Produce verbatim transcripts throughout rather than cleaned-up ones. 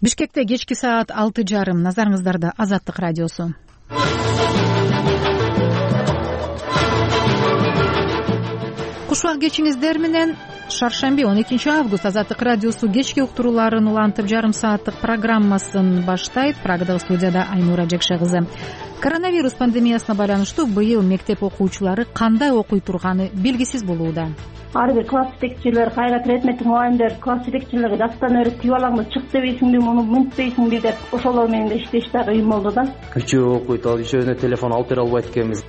Бишкекте кечки саат алты жарым. Назарыңыздарда Азаттык радиосу. Кушбак кечиңиздер менен шаршемби он экинчи август Азаттык радиосу кечки уктурууларын улантып жарым сааттык программасын баштайт. Прагадагы студияда Айнура Жекше кызы. Коронавирус пандемиясына байланыштуу быйыл мектеп окуучулары кандай окуй турганы белгисиз болууда. Ар бир класс жетекчилер, кайра предметтик мугалимдер класс жетекчилерге дастан өйрөтүп алаңды чык дебейсиңби, муну мынтпейсиңби деп ошолор менен иштеш да кыйын болду да. Күчөө окуйт, ал ишөөнө телефон алып бере албайт экенбиз.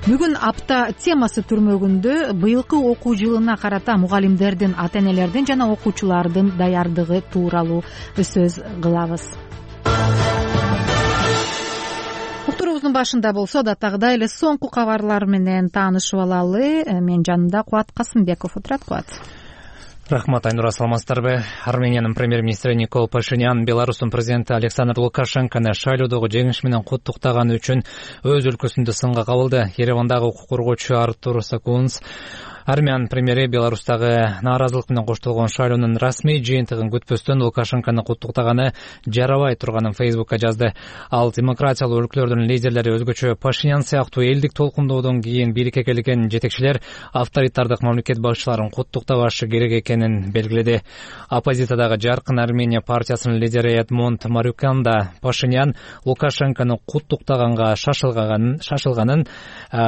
Бүгүн апта темасы түрмөгүндө быйылкы окуу жылына карата мугалимдердин, ата-энелердин жана окуучулардын даярдыгы тууралуу сөз кылабыз. Уктуруубуздун башында болсо адаттагыдай эле соңку кабарлар менен таанышып алалы. Мен жанында Кубат Касымбеков отурат. Кубат. Рахмат, Айнура, саламатсыздарбы? Армениянын премьер-министри Никол Пашинян Беларустун президенти Александр Лукашенкону шайлоодогу жеңиш менен куттуктаганы үчүн өз өлкөсүндө сынга кабылды. Еревандагы укук коргоочу Артур Сакунс армян премьери Беларустагы нааразылык менен коштолгон шайлоонун расмий жыйынтыгын күтпөстөн Лукашенкону куттуктаганы жарабай турганын Фейсбукка жазды. Ал демократиялуу өлкөлөрдүн лидерлери өзгөчө Пашинян сыяктуу элдик толкундоодон кийин бирикке келген жетекчилер авторитардык мамлекет башчыларын куттуктабашы керек экенин белгиледи. Оппозициядагы Жаркын Армения партиясынын лидери Эдмонд Марюкян да Пашинян Лукашенкону куттуктаганга шашылганын,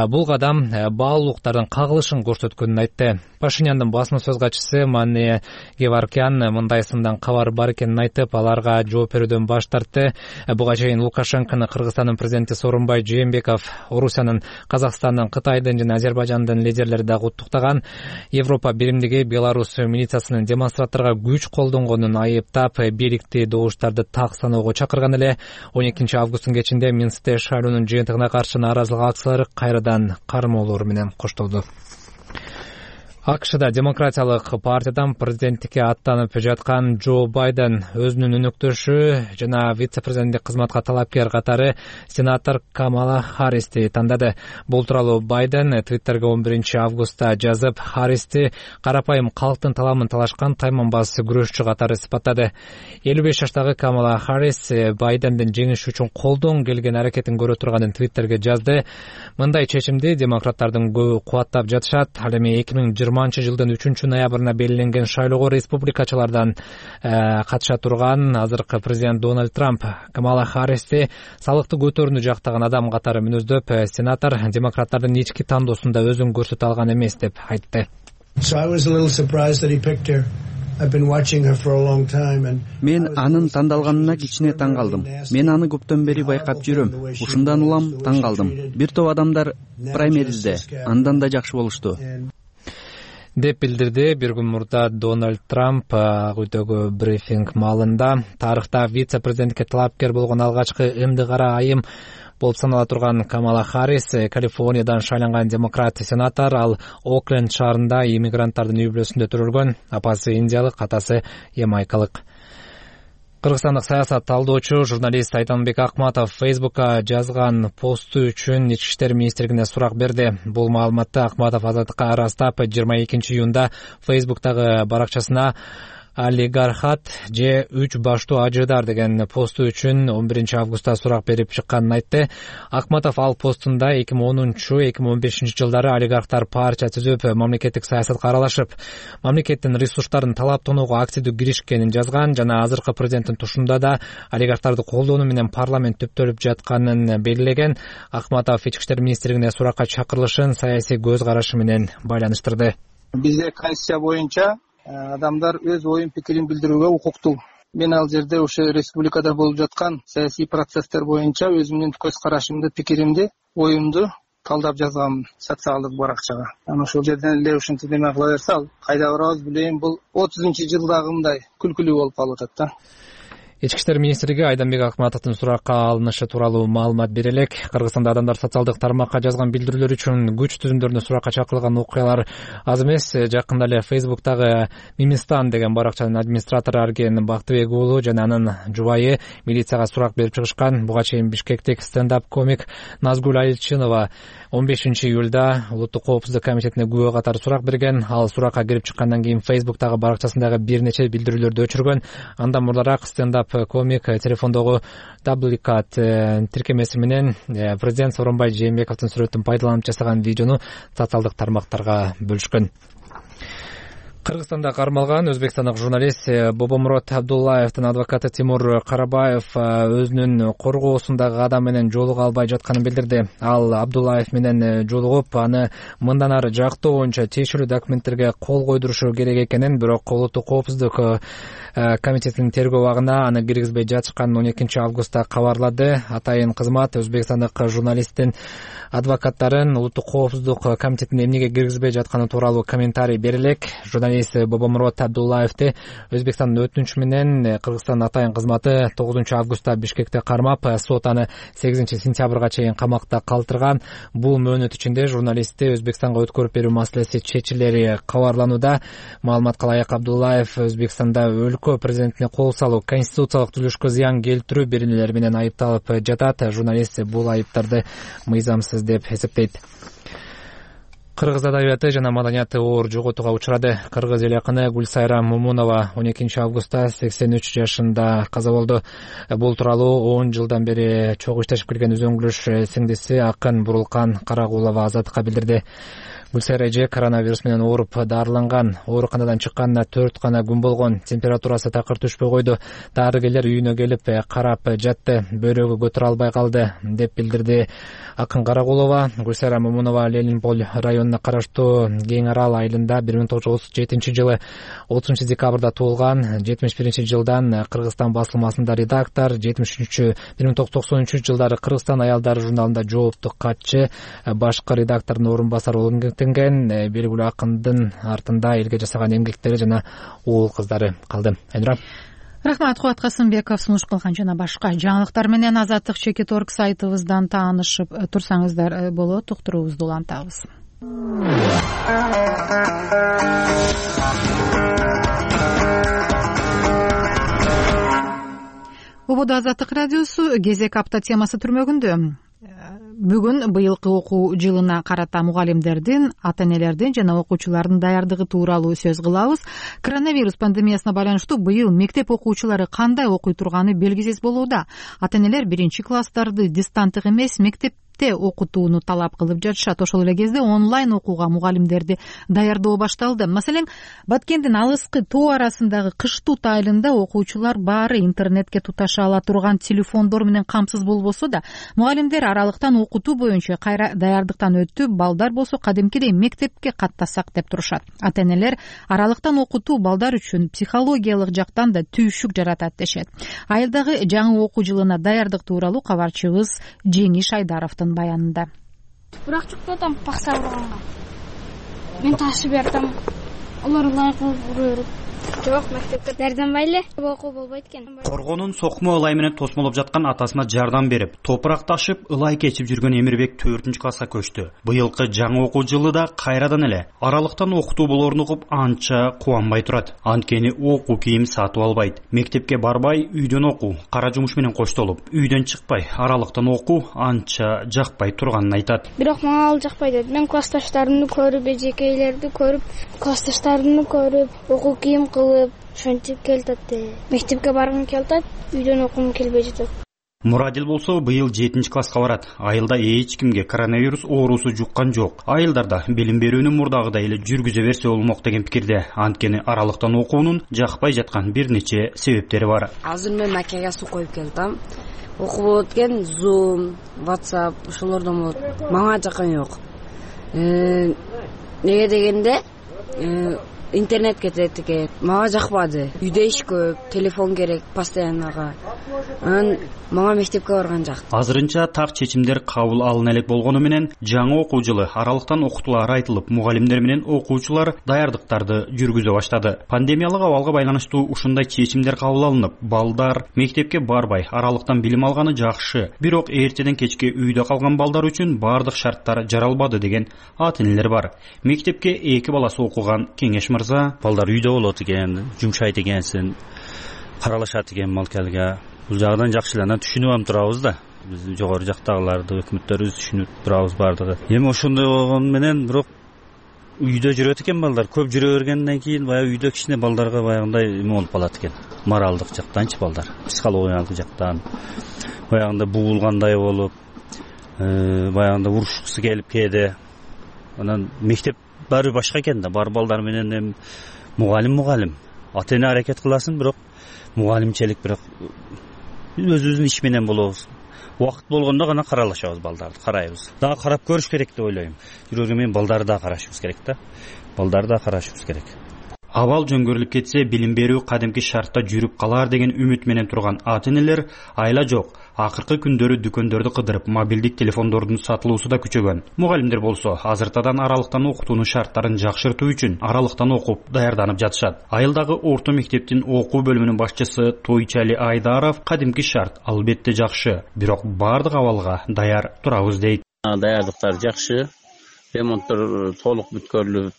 бул кадам баалуулуктардын кагылышын көрсөткөн айтты. Пашиняндын басма сөз катчысы Мане Геваркян мындай сындан кабар бар экенин айтып, аларга жооп берүүдөн баш тартты. Буга чейин Лукашенкону Кыргызстандын президенти Сооронбай Жээнбеков, Орусиянын, Казакстандын, Кытайдын жана Азербайжандын лидерлери да куттуктаган. Европа биримдиги Беларус милициясынын демонстранттарга күч колдонгонун айыптап, бийликти добуштарды так саноого чакырган эле. он экинчи августтун кечинде Минскте шайлоонун жыйынтыгына каршы нааразылык акциялары кайрадан кармоолор менен коштолду. АКШда демократиялык партиядан президенттикке аттанып жаткан Джо Байден өзүнүн өнөктөшү жана вице-президенттик кызматка талапкер катары сенатор Камала Харристи тандады. Бул тууралуу Байден Твиттерге он биринчи августта жазып, Харристи карапайым калктын таламын талашкан тайманбас күрөшчү катары сыпаттады. элүү беш жаштагы Камала Харрис Байдендин жеңиш үчүн колдон келген аракетин көрө турганын Твиттерге жазды. Мындай чечимди демократтардын көбү кубаттап жатышат. Ал эми эки миң жыйырманчы жылдын үчүнчү ноябрына белгиленген шайлоого республикачылардан катыша турган азыркы президент Дональд Трамп Камала Харристи салыкты көтөрүүнү жактаган адам катары мүнөздөп, сенатор демократтардын ички тандоосунда өзүн көрсөтө алган эмес деп айтты. Мен анын тандалганына кичине таң калдым. Мен аны көптөн бери байкап жүрөм. Ушундан улам таң калдым. Бир топ адамдар праймеризде андан да жакшы болушту деп билдирди. Бир күн мурда Дональд Трамп ак үйдөгү брифинг маалында тарыхта вице-президенттикке талапкер болгон алгачкы ымды кара айым болуп санала турган Камала Харрис Калифорниядан шайланган демократ сенатор. Ал Окленд шаарында иммигранттардын үй бүлөсүндө төрөлгөн. Апасы индиялык, атасы ямайкалык. Кыргызстандык саясат талдоочу журналист Айтанбек Акматов Фейсбукка жазган посту үчүн Ички иштер министрлигине сурак берди. Бул маалыматты Акматов Азаттыкка ырастап жыйырма экинчи июнда Фейсбуктагы баракчасына олигархат же үч баштуу ажыдар деген посту үчүн он биринчи августта сурак берип чыкканын айтты. Акматов ал постунда эки миң онунчу эки миң он бешинчи жылдары олигархтар партия түзүп, мамлекеттик саясатка аралашып, мамлекеттин ресурстарын талап тоноого активдүү киришкенин жазган жана азыркы президенттин тушунда да олигархтарды колдонуу менен парламент түптөлүп жатканын белгилеген. Акматов Ички иштер министрлигине суракка чакырылышын саясий көз карашы менен байланыштырды. Бизде конституция боюнча адамдар өз оюн пикирин билдирүүгө укуктуу. Мен ал жерде ошо республикада болуп жаткан саясий процесстер боюнча өзүмдүн көз карашымды, пикиримди, оюмду талдап жазгам социалдык баракчага. Анан ошол жерден эле ушинтип неме кыла берсе, ал кайда барабыз билейм, бул отузунчу жылдагындай күлкүлүү болуп калып атат да. Ички иштер министрлиги Айданбек Акматовдун суракка алынышы тууралуу маалымат бере элек. Кыргызстанда адамдар социалдык тармакка жазган билдирүүлөр үчүн күч түзүмдөрүнө суракка чакырылган окуялар аз эмес. Жакында эле Фейсбуктагы Мимистан деген баракчанын администратору Арген Бактыбек уулу жана анын жубайы милицияга сурак берип чыгышкан. Буга чейин Бишкектик стендап комик Назгүл Айылчынова он бешинчи июлда Улуттук коопсуздук комитетине күбө катары сурак берген. Ал суракка кирип чыккандан кийин Фейсбуктагы баракчасындагы бир нече билдирүүлөрдү өчүргөн. Андан мурдараак стендап стендап комик телефондогу дубликат тиркемеси менен президент Сооронбай Жээнбековдун сүрөтүн пайдаланып жасаган видеону социалдык тармактарга бөлүшкөн. Кыргызстанда кармалган өзбекстандык журналист Бобомурод Абдуллаевдин адвокаты Тимур Карабаев өзүнүн коргоосундагы адам менен жолуга албай жатканын билдирди. Ал Абдуллаев менен жолугуп, аны мындан ары жактоо боюнча тиешелүү документтерге кол койдурушу керек экенин, бирок Улуттук коопсуздук комитетинин тергөө абагына аны киргизбей жатышканын он экинчи августта кабарлады. Атайын кызмат Өзбекстандык журналисттин адвокаттарын Улуттук коопсуздук комитетине эмнеге киргизбей жатканы тууралуу комментарий бере элек. Журналист Бобомурод Абдуллаевди Өзбекстандын өтүнүчү менен Кыргызстандын атайын кызматы тогузунчу августта Бишкекте кармап, сот аны сегизинчи сентябрга чейин камакта калтырган. Бул мөөнөт ичинде журналистти Өзбекстанга өткөрүп берүү маселеси чечилери кабарланууда. Маалыматка ылайык, Абдуллаев Өзбекстанда өлкө президентине кол салуу, конституциялык түзүлүшкө зыян келтирүү беренелери менен айыпталып жатат. Журналист бул айыптарды мыйзамсыз деп эсептейт. Кыргыз адабияты жана маданияты оор жоготууга учурады. Кыргыз эл акыны Гүлсайра Мумунова он экинчи августта сексен үч жашында каза болду. Бул тууралуу он жылдан бери чогуу иштешип келген үзөңгүлөш сиңдиси акын Бурулкан Карагулова Азаттыкка билдирди. Гүлсайра эже коронавирус менен ооруп дарыланган. Ооруканадан чыкканына төрт гана күн болгон. Температурасы такыр түшпөй койду. Дарыгерлер үйүнө келип карап жатты. Бөйрөгү көтөрө албай калды, деп билдирди акын Карагулова. Гүлсайра Мумунова Ленинполь районуна караштуу Кең Арал айылында бир миң тогуз жүз отуз жетинчи жылы отузунчу декабрда туулган. жетимиш биринчи жылдан Кыргызстан басылмасында редактор, жетимиш үчүнчү бир миң тогуз жүз токсон үчүнчү жылдары Кыргызстан аялдары журналында жоопту катчы, башкы редактордун орун басары болуп белгилүү акындын артында элге жасаган эмгектери жана уул кыздары калды. Айнура. Рахмат, Кубат Касымбеков сунуш кылган жана башка жаңылыктар менен Азаттык чекит точка орг сайтыбыздан таанышып турсаңыздар болот. Уктуруубузду улантабыз. Ободо Азаттык радиосу кезек апта темасы түрмөгүндө. Бүгүн быйылкы окуу жылына карата мугалимдердин, ата-энелердин жана окуучулардын даярдыгы тууралуу сөз кылабыз. Коронавирус пандемиясына байланыштуу быйыл мектеп окуучулары кандай окуй турганы белгисиз болууда. Ата-энелер биринчи класстарды дистанттык эмес, мектеп окутууну талап кылып жатышат. Ошол эле кезде онлайн окууга мугалимдерди даярдоо башталды. Маселен, Баткендин алыскы тоо арасындагы Кыштут айылында окуучулар баары интернетке туташа ала турган телефондор менен камсыз болбосо да, мугалимдер аралыктан окутуу боюнча кайра даярдыктан өтүп, балдар болсо кадимкидей мектепке каттасак деп турушат. Ата-энелер аралыктан окутуу балдар үчүн психологиялык жактан да түйшүк жаратат дешет. Айылдагы жаңы окуу жылына даярдык тууралуу кабарчыбыз Жеңиш Айдаровдун баянында. Бирок чукпатам пакса урганга. Мен ташып бертам. Алар ылайык көрүп. Жок, мектепте дардамбай эле окуу болбойт экен. Коргонун сокмо ылай менен тосмолоп жаткан атасына жардам берип, топурак ташып, ылай кечип жүргөн Эмирбек төртүнчү класска көчтү. Быйылкы жаңы окуу жылы да кайрадан эле аралыктан окутуу болоорун угуп анча кубанбай турат. Анткени окуу кийим сатып албайт. Мектепке барбай, үйдөн окуу, кара жумуш менен коштолуп, үйдөн чыкпай, аралыктан окуу анча жакпай турганын айтат. Бирок мага ал жакпай дейт. Мен классташтарымды көрүп, эжекейлерди көрүп, классташтарымды көрүп, окуу кийим кылып, ошентип келатат. Мектепке баргым келатат, үйдөн окугум келбей жатат. Мурадил болсо быйыл жетинчи класска барат. Айылда эч кимге коронавирус оорусу жуккан жок. Айылдарда билим берүүнү мурдагыдай эле жүргүзө берсе болмок деген пикирде. Анткени аралыктан окуунун жакпай жаткан бир нече себептери бар. Азыр мен макияга суу коюп келдим. Окуу болот экен, Zoom, WhatsApp, ошолордон болот. Мага жаккан жок. Неге дегенде, интернет кетет экен. Мага жакпады. Үйдө иш көп, телефон керек постояннага. Анан мага мектепке барган жак. Азырынча так чечимдер кабыл алына элек болгону менен жаңы окуу жылы аралыктан окутуулар айтылып, мугалимдер менен окуучулар даярдыктарды жүргүзө баштады. Пандемиялык абалга байланыштуу ушундай чечимдер кабыл алынып, балдар мектепке барбай аралыктан билим алганы жакшы. Бирок эртеден кечке үйдө калган балдар үчүн бардык шарттар жаралбады деген ата-энелер бар. Мектепке эки баласы окуган Кеңеш мырза: балдар үйдө болот экен, жумшайт экенсин, каралашат экен малкалга. Бул жагдан жакшы эле түшүнүп ам турабыз да. Биз жогору жактагыларды, өкмөттөрүбүз түшүнүп турабыз бардыгы. Эми ошондой болгону менен бирок үйдө жүрөт экен балдар. Көп жүрө бергенден кийин баягы үйдө кичине балдарга баягындай эме болуп калат экен. Моралдык жактанчы балдар, психологиялык жактан баягындай бугулгандай болуп, баягындай урушкусу келип кээде. Анан мектеп баары башка экен да, бар балдар менен эми мугалим мугалим. Ата-эне аракет кыласың, бирок мугалимчелик бирок өзүбүздүн иш менен болобуз. Убакыт болгондо гана каралашабыз балдарды, карайбыз. Дагы карап көрүш керек деп ойлойм. Жүрөгү менен балдарды да карашыбыз керек да. Балдарды да карашыбыз керек. Абал жөнгөрүлүп кетсе, билим берүү кадимки шартта жүрүп калар деген үмүт менен турган ата-энелер айла жок. Акыркы күндөрү дүкөндөрдү кыдырып, мобилдик телефондордун сатылуусу да күчөгөн. Мугалимдер болсо, азыртадан аралыктан окутуунун шарттарын жакшыртуу үчүн аралыктан окуп, даярданып жатышат. Айылдагы орто мектептин окуу бөлүмүнүн башчысы Тойчали Айдаров кадимки шарт албетте жакшы, бирок бардык абалга даяр турабыз дейт. Даярдыктар жакшы, ремонттор толук бүткөрүлүп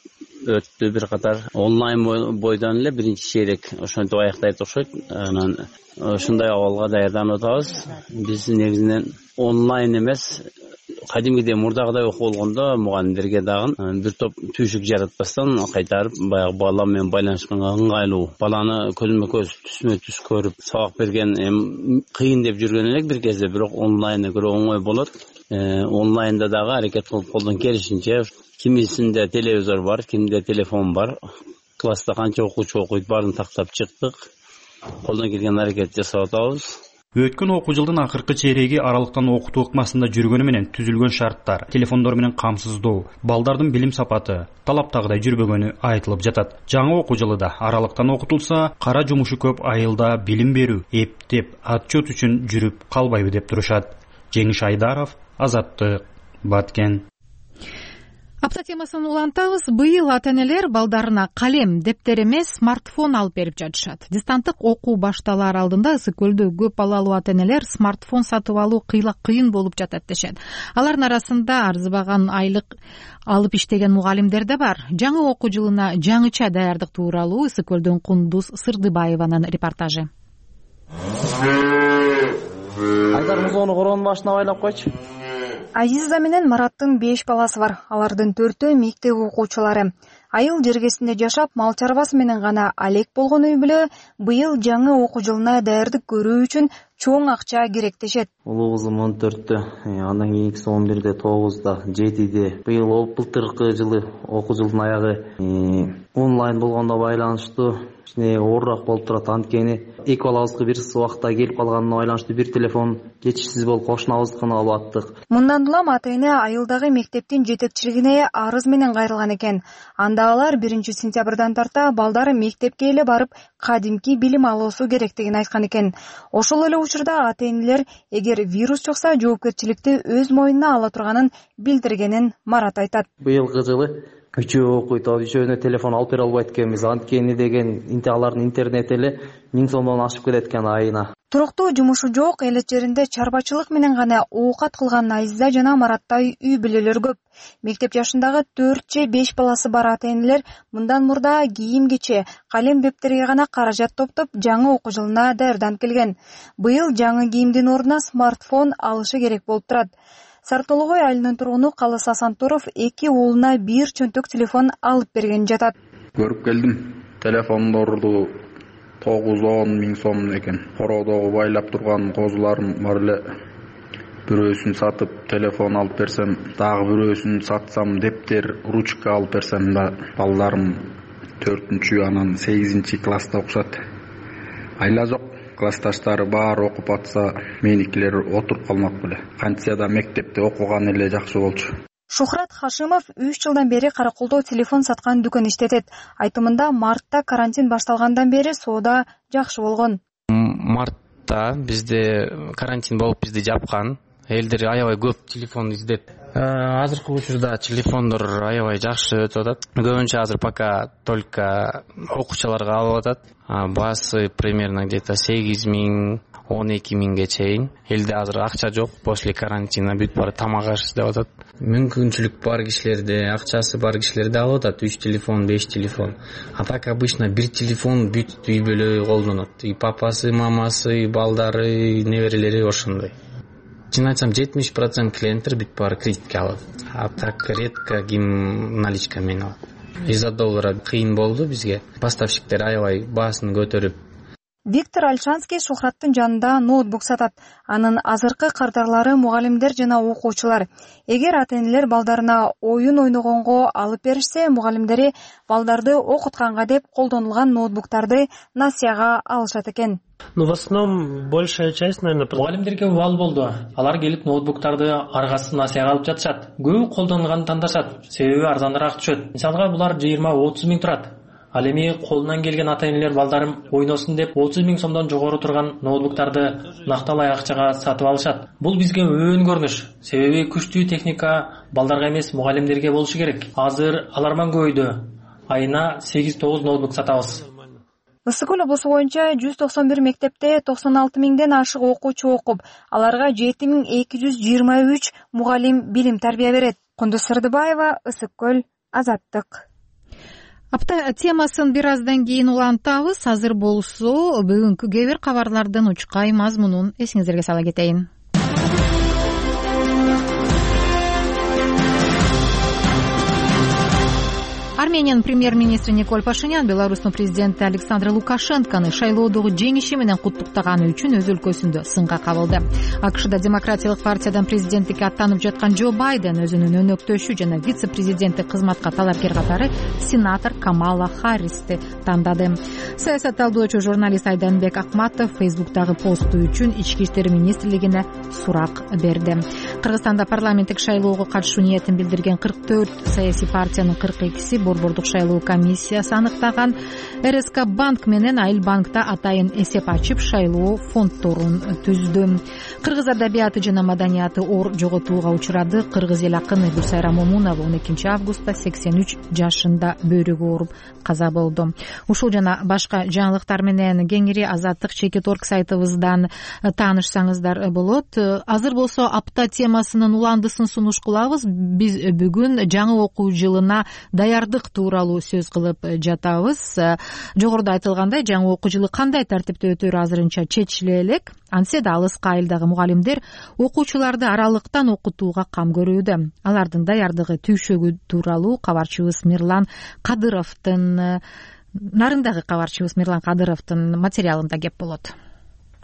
өттү, бир катар онлайн бойдон эле биринчи чейрек ошентип аяктайт окшойт. Анан ушундай абалга даярданып атабыз. Биз негизинен онлайн эмес, кадимгидей мурдагыдай окуу болгондо мугалимдерге дагы бир топ түйшүк жаратпастан кайтарып баягы бала менен байланышканга ыңгайлуу, баланы көзмө көз түсмө түс көрүп сабак берген эми кыйын деп жүргөн элек бир кезде, бирок онлайнга көрө оңой болот. Онлайнда дагы аракет кылып колдон келишинче, кимисинде телевизор бар, кимде телефон бар, класста канча окуучу окуйт, баарын тактап чыктык. Колдон келген аракет жасап атабыз. Өткөн окуу жылдын акыркы чейреги аралыктан окутуу ыкмасында жүргөнү менен түзүлгөн шарттар, телефондор менен камсыздоо, балдардын билим сапаты талаптагыдай жүрбөгөнү айтылып жатат. Жаңы окуу жылында аралыктан окутулса, кара жумушу көп айылда билим берүү, эптеп, отчет үчүн жүрүп калбайбы деп турушат. Жеңиш Айдаров, Азаттык, Баткен. Апта темасын улантабыз. Быйыл ата-энелер балдарына калем, дептер эмес, смартфон алып берип жатышат. Дистанттык окуу башталар алдында ысык көлдө көп балалуу ата-энелер смартфон сатып алуу кыйла кыйын болуп жатат дешет. Алардын арасында арзыбаган айлык алып иштеген мугалимдер да бар. Жаңы окуу жылына жаңыча даярдык тууралуу ысык көлдөн Кундуз Сырдыбаеванын репортажы. Айдар, музоону короонун башына байлап койчу. Азиза менен Мараттын беш баласы бар. Алардын төртөө мектеп окуучулары. Айыл жергесинде жашап, мал чарбасы менен гана алек болгон үй бүлө быйыл жаңы окуу жылына даярдык көрүү үчүн чоң акча керектешет. Улуу кызым он төрттө, андан кийинкиси он бирде, тогузда, жетиде. Быйыл былтыркы жылы окуу жылдын аягы онлайн болгондо байланыштуу кичине оорураак болуп турат. Анткени эки балабызга бир убакта келип калганына байланыштуу бир телефон жетишсиз болуп кошунабыздыкына алып аттык. Мындан улам ата-эне айылдагы мектептин жетекчилигине арыз менен кайрылган экен. Анда алар биринчи сентябрдан тарта балдары мектепке эле барып, кадимки билим алуусу керектигин айткан экен. Ошол эле учурда ата-энелер эгер вирус чыкса, жоопкерчиликти өз мойнуна ала турганын билдиргенин Марат айтат. Быйылкы жылы үчөө окуйт, үчөөнө телефон алып бере албайт экенбиз. Анткени деген алардын интернет эле миң сомдон ашып кетет экен айына. Туруктуу жумушу жок, элет жеринде чарбачылык менен гана оокат кылган Айза жана Мараттай үй бүлөлөр көп. Мектеп жашындагы төрт же беш баласы бар ата-энелер мындан мурда кийим-кече, калем дептерге гана каражат топтоп, жаңы окуу жылына даярданып келген. Быйыл жаңы кийимдин ордуна смартфон алышы керек болуп турат. Сартологой айылынын тургуну Калыс Асантуров эки уулуна бир чөнтөк телефон алып берген жатат. Көрүп келдим. Телефондорду тогуз он миң сом экен. Короодогу байлап турган козуларым бар эле. Бирөөсүн сатып телефон алып берсем, дагы бирөөсүн сатсам дептер, ручка алып берсем да, балдарым төртүнчү, анан сегизинчи класста окушат. Айла жок. Классташтары баары окуп атса, меникилер отуруп калмак беле. Кантса да мектепте окуган эле жакшы болчу. Шухрат Хашимов үч жылдан бери Караколдо телефон саткан дүкөн иштетет. Айтымында мартта карантин башталгандан бери соода жакшы болгон. Мартта бизде карантин болуп бизди жапкан. Элдер аябай көп телефон издеп. Азыркы учурда телефондор аябай жакшы өтүп атат. Көбүнчө азыр пока только окуучуларга алып атат. Баасы примерно где-то сегиз миң, он эки миңге чейин. Элде азыр акча жок, после карантина бүт баары тамак аш деп атат. Мүмкүнчүлүк бар кишилерде, акчасы бар кишилерде алып атат үч телефон, беш телефон. А так обычно бир телефон бүт үй бүлө колдонот. И папасы, мамасы, и балдары, и неберелери ошондой. чын айтсам жетимиш процент клиенттер бүт баары кредитке алат, а так редко ким наличка менен алат. жүз доллар кыйын болду бизге, поставщиктер аябай баасын көтөрүп. Виктор Альшанский Шухраттын жанында ноутбук сатат. Анын азыркы кардарлары мугалимдер жана окуучулар. Эгер ата-энелер балдарына оюн ойногонго алып беришсе, мугалимдери балдарды окутканга деп колдонулган ноутбуктарды насыяга алышат экен. Ну, в основном, большая часть, наверное... Мугалимдерге убал болду. Алар келип ноутбуктарды аргасы насыяга алып жатышат. Көбү колдонулганын тандашат. Себеби арзаныраак түшөт. Мисалга булар жыйырма отуз миң турат. Ал эми колунан келген ата-энелер балдарым ойносун деп отуз миң сомдон жогору турган ноутбуктарды накталай акчага сатып алышат. Бул бизге өбөн көрүнүш. Себеби күчтүү техника балдарга эмес, мугалимдерге болушу керек. Азыр аларман көбөйдү. Айына сегиз тогуз ноутбук сатабыз. Ысык көл облусу боюнча жүз токсон бир мектепте токсон алты миңден ашык окуучу окуп, аларга жети миң эки жүз жыйырма үч мугалим билим тарбия берет. Кундуз Сырдыбаева, Ысык көл, Азаттык. Апта темасын бир аздан кийин улантабыз. Азыр болсо бүгүнкү кээ бир кабарлардын учкай мазмунун эсиңиздерге сала кетейин. Армениянын премьер-министри Никол Пашинян Беларустун президенти Александр Лукашенкону шайлоодогу жеңиши менен куттуктаганы үчүн өз өлкөсүндө сынга кабылды. АКШда Демократиялык партиядан президенттикке аттанып жаткан Джо Байден өзүнүн өнөктөшү жана вице-президенти кызматка талапкер катары сенатор Камала Харристи тандады. Саясат талдоочу журналист Айданбек Акматов Фейсбуктагы посту үчүн Ички иштер министрлигине сурак берди. Кыргызстанда парламенттик шайлоого катышуу ниетин билдирген кырк төрт саясий партиянын кырк экиси Борбордук шайлоо комиссиясы аныктаган эр эс ка банк менен Айыл банкта атайын эсеп ачып шайлоо фонддорун түздү. Кыргыз адабияты жана маданияты оор жоготууга учурады. Кыргыз эл акыны Гүлсайра Момунова он экинчи августта сексен үч жашында бөйрөгү ооруп каза болду. Ушул жана башка жаңылыктар менен кеңири Азаттык чекит орг сайтыбыздан таанышсаңыздар болот. Азыр болсо апта темасынын уландысын сунуш кылабыз. Биз бүгүн жаңы окуу жылына даярдык тууралуу сөз кылып жатабыз. Жогоруда айтылгандай, жаңы окуу жылы кандай тартипте өтөрү азырынча чечиле элек. Антсе да алыскы айылдагы мугалимдер окуучуларды аралыктан окутууга кам көрүүдө. Алардын даярдыгы түйшөгү тууралуу кабарчыбыз Мирлан Кадыровдун нарындагы кабарчыбыз Мирлан Кадыровдун материалында кеп болот.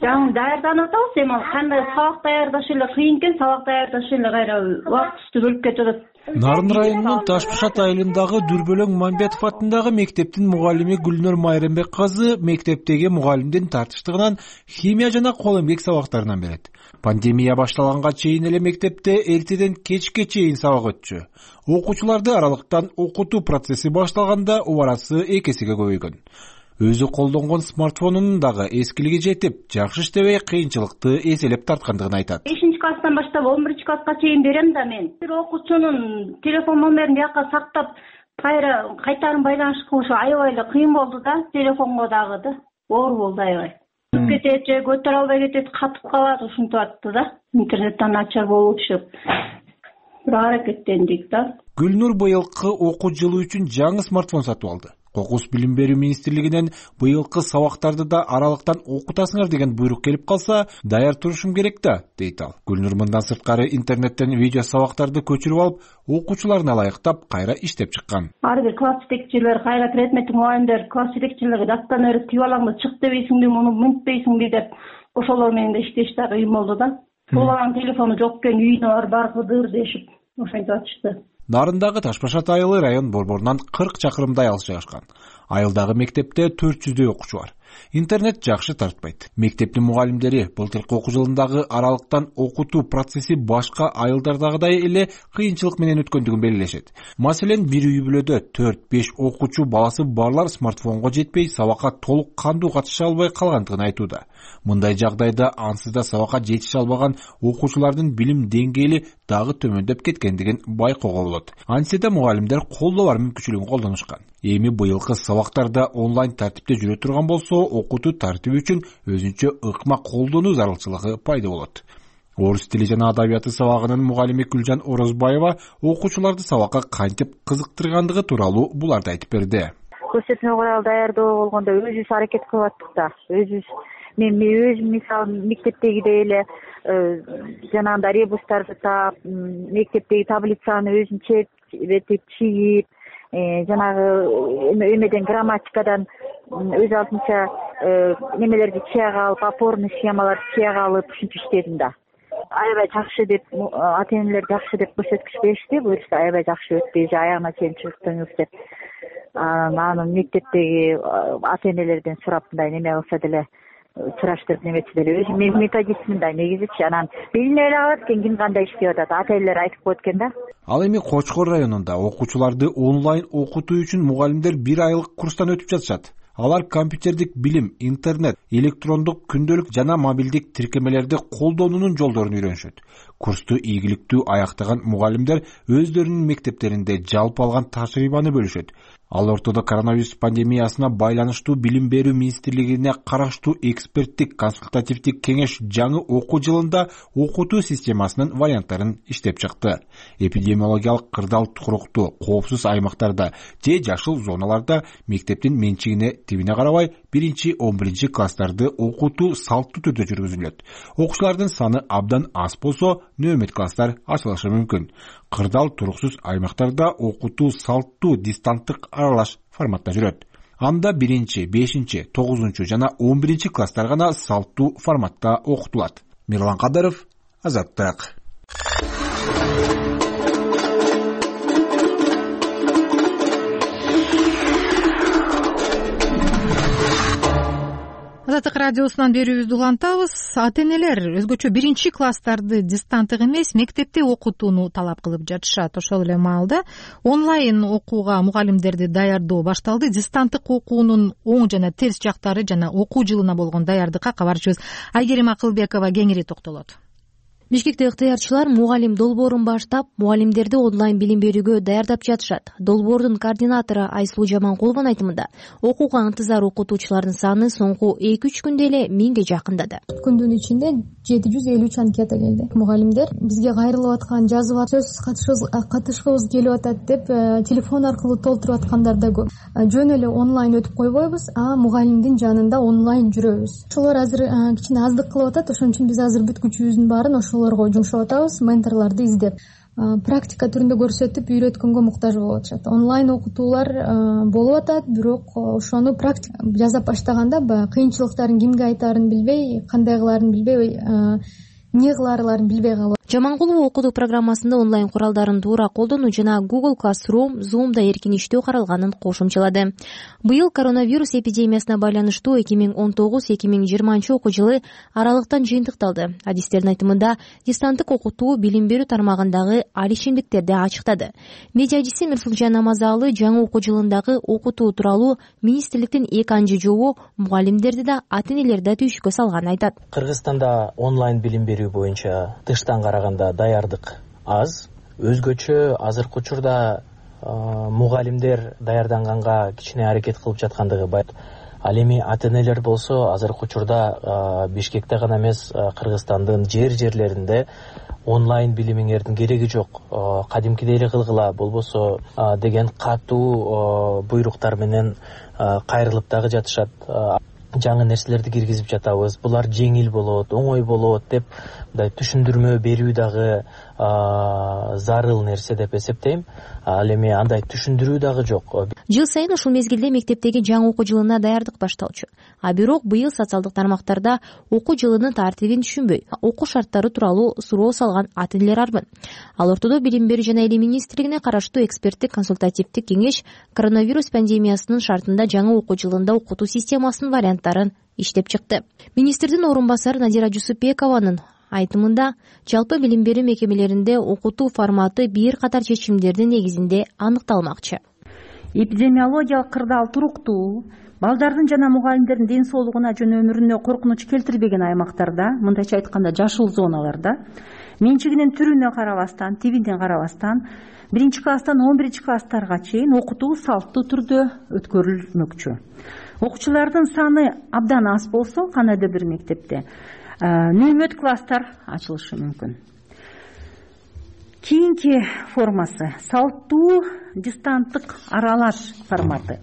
жаңы даярданып атабыз. Эми кандай сабак даярдаш эле кыйын экен, сабак даярдаш эле кайра убактысты бөлүп кетип атат. Нарын районунун Ташпышат айылындагы Дүрбөлөң Мамбетов атындагы мектептин мугалими Гүлнөр Майрамбек кызы мектептеги мугалимдин тартыштыгынан химия жана кол эмгек сабактарынан берет. Пандемия башталганга чейин эле мектепте эртеден кечке чейин сабак өтчү. Окуучуларды аралыктан окутуу процесси башталганда убарасы эки эсеге көбөйгөн. Өзү колдонгон смартфонунун дагы эскилиги жетип, жакшы иштебей кыйынчылыкты эселеп тарткандыгын айтат. бешинчи класстан баштап он биринчи класска чейин берем да мен. Бир окуучунун телефон номерин бияка сактап, кайра кайтарым байланыш кылышы аябай эле кыйын болду да, телефонго дагы да. Оор болду аябай. Кетет же көтөрө албай кетет, катып калат, ушинтип атты да. Интернеттен начар болуп, бир аракеттендик да. Гүлнур быйылкы окуу жылы үчүн жаңы смартфон сатып алды. Кокус билим берүү министрлигинен быйылкы сабактарды да аралыктан окутасыңар деген буйрук келип калса, даяр турушум керек да, дейт ал. Гүлнур мындан сырткары интернеттен видео сабактарды көчүрүп алып, окуучуларына ылайыктап кайра иштеп чыккан. Ар бир класс жетекчилер, кайра предметтик мугалимдер класс жетекчилерге дастан өрүп түйүп аламды, чык дебейсиңби, муну мынтпейсиңби деп ошолор менен да иштеш да кыйын болду да. Баланын телефону жок экен, үйүнө бар баргыдыр дешип, ошентип атышты. Нарындагы Ташпашат айылы район борборунан кырк чакырымдай алыс жайгашкан. Айылдагы мектепте төрт жүздөй окуучу бар. Интернет жакшы тартпайт. Мектептин мугалимдери былтыркы окуу жылындагы аралыктан окутуу процесси башка айылдардагыдай эле кыйынчылык менен өткөндүгүн белгилешет. Маселен, бир үй бүлөдө төрт беш окуучу баласы барлар смартфонго жетпей, сабакка толук кандуу катыша албай калгандыгын айтууда. Мындай жагдайда ансыз да сабакка жетише албаган окуучулардын билим деңгээли дагы төмөндөп кеткендигин байкоого болот. Антсе да мугалимдер колдоо бар мүмкүнчүлүгүн колдонушкан. Эми быйылкы сабактарда онлайн тартипте жүрө турган болсо, окутуу тартиби үчүн өзүнчө ыкма колдонуу зарылчылыгы пайда болот. Орус тили жана адабияты сабагынын мугалими Гүлжан Орозбаева окуучуларды сабакка кантип кызыктыргандыгы тууралуу буларды айтып берди. Көрсөтмө курал даярдоо болгондо өзүбүз аракет кылып аттык да. Өзүбүз мен өзүм мисалы мектептегидей эле жанагындай ребустарды таап, мектептеги таблицаны өзүнчө этип чийип, жанагы эмеден грамматикадан өз алдынча немелерди чыяга алып, опорный схемаларды чыяга алып ушинтип иштедим да. Аябай жакшы деп, ата энелер жакшы деп көрсөткүч беришти. Буюрса аябай жакшы өттү, аягына чейин чыктыңыз деп. Анан мектептеги ата энелерден сурап мындай неме кылса деле, сураштырып неметсе деле өзүм методистмин да негизичи. Анан билине эле калат экен ким кандай иштеп атат. Ата энелер айтып коет экен да. Ал эми Кочкор районунда окуучуларды онлайн окутуу үчүн мугалимдер бир айлык курстан өтүп жатышат. Алар компьютердик билим, интернет, электрондук күндөлүк жана мобилдик тиркемелерди колдонуунун жолдорун үйрөнүшөт. Курсту ийгиликтүү аяктаган мугалимдер өздөрүнүн мектептеринде жалпы алган тажрыйбаны бөлүшөт. Ал ортодо коронавирус пандемиясына байланыштуу Билим берүү министрлигине караштуу эксперттик консультативдик кеңеш жаңы окуу жылында окутуу системасынын варианттарын иштеп чыкты. Эпидемиологиялык кырдаал туруктуу, коопсуз аймактарда же жашыл зоналарда мектептин менчигине тибине карабай биринчи он биринчи класстарды окутуу салттуу түрдө жүргүзүлөт. Окуучулардын саны абдан аз болсо, нөөмөт класстар ачылышы мүмкүн. Кырдаал туруксуз аймактарда окутуу салттуу дистанттык аралаш форматта жүрөт. Анда биринчи, бешинчи, тогузунчу жана он биринчи класстар гана салттуу форматта окутулат. Мирлан Кадаров, Азаттык. Азаттык радиосунан берүүбүздү улантабыз. Ата энелер өзгөчө биринчи класстарды дистанттык эмес, мектепте окутууну талап кылып жатышат. Ошол эле маалда онлайн окууга мугалимдерди даярдоо башталды. Дистанттык окуунун оң жана терс жактары жана окуу жылына болгон даярдыкка кабарчыбыз Айгерим Акылбекова кеңири токтолот. Бишкекте ыктыярчылар мугалим долбоорун баштап, мугалимдерди онлайн билим берүүгө даярдап жатышат. Долбоордун координатору Айсулуу Жаманкулованын айтымында, окууга ынтызар окутуучулардын саны соңку эки үч күндө эле миңге жакындады. Күндүн ичинде жети жүз элүү үч анкета келди. Мугалимдер бизге кайрылып аткан, жазып сөзсүз катышкыбыз келип атат деп телефон аркылуу толтуруп аткандар да көп. Жөн эле онлайн өтүп койбойбуз, а мугалимдин жанында онлайн жүрөбүз. Ошолор азыр кичине аздык кылып атат, ошон үчүн биз азыр бүт күчүбүздүн баарын ошол жумшап атабыз, менторлорду издеп, практика түрүндө көрсөтүп үйрөткөнгө муктаж болуп атышат. Онлайн окутуулар болуп атат, бирок ошону практика жасап баштаганда баягы кыйынчылыктарын кимге айтаарын билбей, кандай кылаарын билбей, эмне кылаарларын билбей калып. Жаманкулова окутуу программасында онлайн куралдарын туура колдонуу жана Google Classroom, Zoom'да эркин иштөө каралганын кошумчалады. Быйыл коронавирус эпидемиясына байланыштуу эки миң он тогуз эки миң жыйырманчы окуу жылы аралыктан жыйынтыкталды. Адистердин айтымында, дистанттык окутуу билим берүү тармагындагы алишимдиктерди ачыктады. Медиадиси Мирсулжан Намазалы жаңы окуу жылындагы окутуу тууралуу министрликтин эки анчы жобу мугалимдерди да, ата энелерди да түйшүккө салганын айтат. Кыргызстанда онлайн билим берүү боюнча тыштан караганда даярдык аз. Өзгөчө азыркы учурда мугалимдер даярданганга кичине аракет кылып жаткандыгы бар. Ал эми ата энелер болсо азыркы учурда Бишкекте гана эмес, Кыргызстандын жер жерлеринде онлайн билимиңердин кереги жок, кадимкидей эле кылгыла болбосо деген катуу буйруктар менен кайрылып дагы жатышат. Жаңы нерселерди киргизип жатабыз, булар жеңил болот, оңой болот деп мындай түшүндүрмө берүү дагы зарыл нерсе деп эсептейм. Ал эми андай түшүндүрүү дагы жок. Жыл сайын ушул мезгилде мектептеги жаңы окуу жылына даярдык башталчу. А бирок быйыл социалдык тармактарда окуу жылынын тартибин түшүнбөй, окуу шарттары тууралуу суроо салган ата энелер арбын. Ал ортодо Билим берүү жана Илим министрлигине караштуу эксперттик консультативдик кеңеш коронавирус пандемиясынын шартында жаңы окуу жылында окутуу системасынын варианттарын иштеп чыкты. Министрдин орун басары Надира Жусупбекованын айтымында, жалпы билим берүү мекемелеринде окутуу форматы бир катар чечимдердин негизинде аныкталмакчы. Эпидемиологиялык кырдаал туруктуу, балдардын жана мугалимдердин ден соолугуна жана өмүрүнө коркунуч келтирбеген аймактарда, мындайча айтканда жашыл зоналарда, менчигинин түрүнө карабастан, тибине карабастан, биринчи класстан он биринчи класстарга чейин окутуу салттуу түрдө өткөрүлмөкчү. Окуучулардын саны абдан аз болсо, кандайдыр бир мектепте нөөмөт класстар ачылышы мүмкүн. Кийинки формасы салттуу дистанттык аралаш форматы.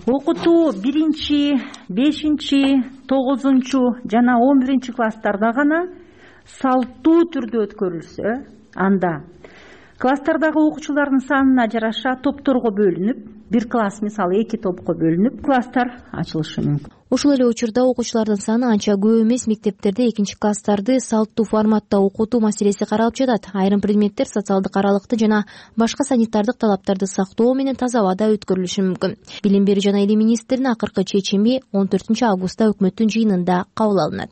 окутуу биринчи бешинчи тогузунчу жана он биринчи класстарда гана салттуу түрдө өткөрүлсө, анда класстардагы окуучулардын санына жараша топторго бөлүнүп, бир класс мисалы эки топко бөлүнүп, класстар ачылышы мүмкүн. Ошол эле учурда окуучулардын саны анча көп эмес. Мектептерде экинчи класстарды салттуу форматта окутуу маселеси каралып жатат. Айрым предметтер социалдык аралыкты жана башка санитардык талаптарды сактоо менен таза абада өткөрүлүшү мүмкүн. Билим берүү жана Айыл министринин акыркы чечими он төртүнчү августта өкмөттүн жыйынында кабыл алынат.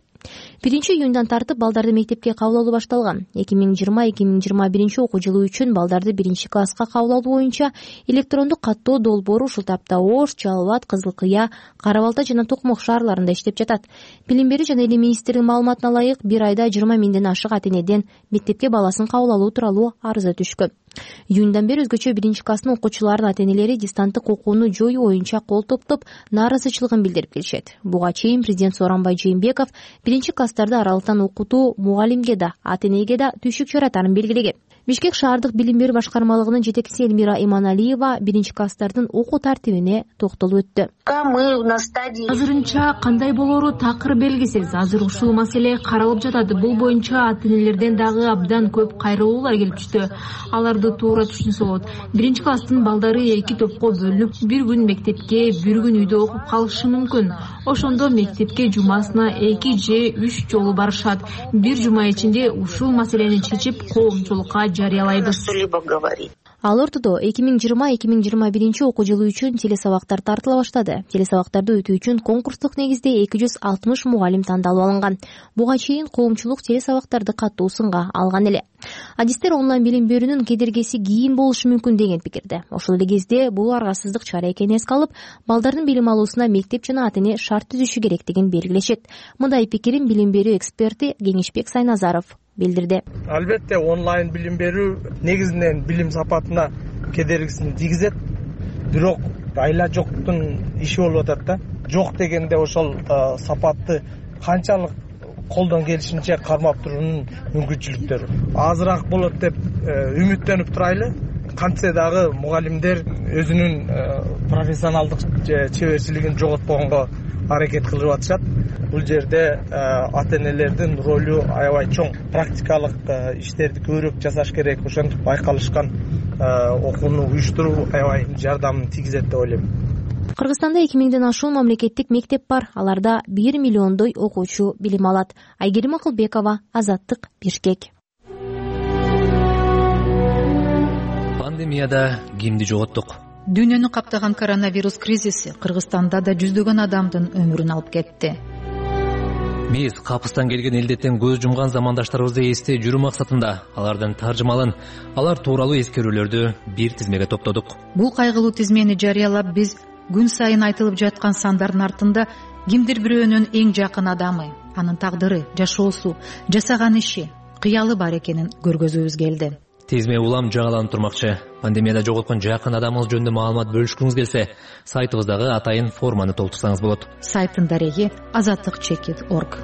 биринчи июндан тартып балдарды мектепке кабыл алуу башталган. эки миң жыйырма эки миң жыйырма биринчи окуу жылы үчүн балдарды биринчи класска кабыл алуу боюнча электрондук каттоо долбоору ушул тапта Ош, Жалал Абад, Кызыл Кыя, Кара Балта жана Токмок шаарларында иштеп жатат. Билим берүү жана Айыл министринин маалыматына ылайык, бир айда жыйырма миңден ашык ата энеден мектепке баласын кабыл алуу тууралуу арыза түшкөн. Июндан бери өзгөчө биринчи класстын окуучуларынын ата энелери дистанттык окууну жоюу боюнча кол топтоп нааразычылыгын билдирип келишет. Буга чейин президент Сооронбай Жээнбеков биринчи класстарды аралыктан окутуу мугалимге да, ата энеге да түйшүк жаратарын белгилеген. Бишкек шаардык билим берүү башкармалыгынын жетекчиси Элмира Иманалиева биринчи класстардын окуу тартибине токтолуп өттү. Азырынча кандай болору такыр белгисиз. Азыр ушул маселе каралып жатат. Бул боюнча ата энелерден дагы абдан көп кайрылуулар келип түштү. Аларды туура түшүнсө болот. Биринчи класстын балдары эки топко бөлүнүп, бир күн мектепке, бир күн үйдө окуп калышы мүмкүн. Ошондо мектепке жумасына эки же үч жолу барышат. Бир жума ичинде ушул маселени чечип, коомчулукка жарыялайбыз. Ал ортодо эки миң жыйырма эки миң жыйырма биринчи окуу жылы үчүн телесабактар тартыла баштады. Телесабактарды өтүү үчүн конкурстук негизде эки жүз алтымыш мугалим тандалып алынган. Буга чейин коомчулук телесабактарды катуу сынга алган эле. Адистер онлайн билим берүүнүн кедергиси кийин болушу мүмкүн деген пикирде. Ошол эле кезде бул аргасыздык чара экенин эске алып, балдардын билим алуусуна мектеп жана ата эне шарт түзүшү керектигин белгилешет. Мындай пикирин билим берүү эксперти Кеңешбек Сайназаров билдирди. Албетте онлайн билим берүү негизинен билим сапатына кедергисин тийгизет. Бирок айла жоктун иши болуп атат да. Жок дегенде ошол сапатты канчалык колдон келишинче кармап туруунун мүмкүнчүлүктөрү азыраак болот деп үмүттөнүп турайлы. Кантсе дагы мугалимдер өзүнүн профессионалдык чеберчилигин жоготпогонго аракет кылып атышат. Бул жерде ата энелердин ролу аябай чоң. Практикалык иштерди көбүрөөк жасаш керек. Ошентип байкалышкан окууну уюштуруу аябай жардамын тийгизет деп ойлойм. Кыргызстанда эки миңден ашуун мамлекеттик мектеп бар. Аларда бир миллиондой окуучу билим алат. Айгерим Акылбекова, Азаттык, Бишкек. Пандемияда кимди жоготтук? Дүйнөнү каптаган коронавирус кризиси Кыргызстанда да жүздөгөн адамдын өмүрүн алып кетти. Биз капыстан келген элдеттен көз жумган замандаштарыбызды эстей жүрүү максатында алардын таржымалын, алар тууралуу эскерүүлөрдү бир тизмеге топтодук. Бул кайгылуу тизмени жарыялап, биз күн сайын айтылып жаткан сандардын артында кимдир бирөөнүн эң жакын адамы, анын тагдыры, жашоосу, жасаган иши, кыялы бар экенин көргөзүүбүз келди. Тизме улам жаңыланып турмакчы. Пандемияда жоготкон жакын адамыңыз жөнүндө маалымат бөлүшкүңүз келсе, сайтыбыздагы атайын форманы толтурсаңыз болот. Сайттын дареги азаттык чекит точка орг.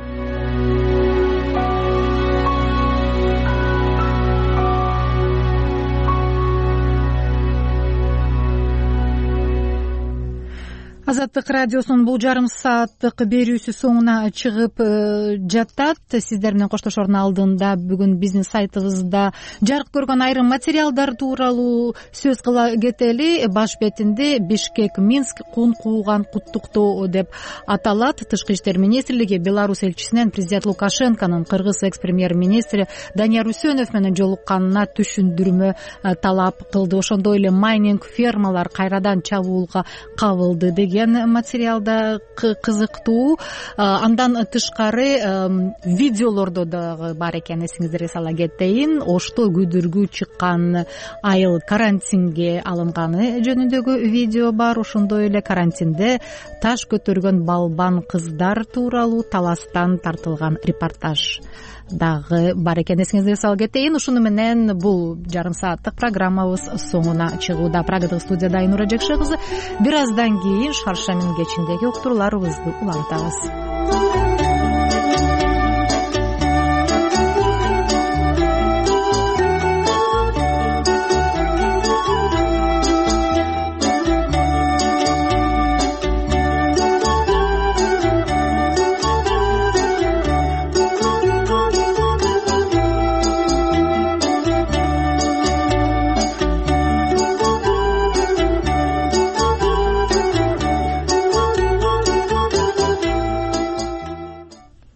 Азаттык радиосунун бул жарым сааттык берүүсү соңуна чыгып жатат. Сиздер менен коштошордун алдында бүгүн биздин сайтыбызда жарык көргөн айрым материалдар тууралуу сөз кыла кетели. Баш бетинде Бишкек Минск кун кууган куттуктоо деп аталат. Тышкы иштер министрлиги Беларусь элчисинен президент Лукашенконун кыргыз экс-премьер-министри Данияр Үсөнов менен жолукканына түшүндүрмө талап кылды. Ошондой эле майнинг фермалар кайрадан чабуулга кабылды деген материалда кызыктуу. Андан тышкары видеолордо дагы бар экен, эсиңиздерге сала кетейин. Ошто күйдүргү чыккан айыл карантинге алынганы жөнүндөгү видео бар. Ошондой эле карантинде таш көтөргөн балбан кыздар тууралуу таластан тартылган репортаж дагы бар экен, эсиңиздерге салып кетейин. Ушуну менен бул жарым сааттык программабыз соңуна чыгууда. Прагадагы студияда Айнура Жекше кызы. Бир аздан кийин Шаршембинин кечиндеги уктурууларыбызды улантабыз.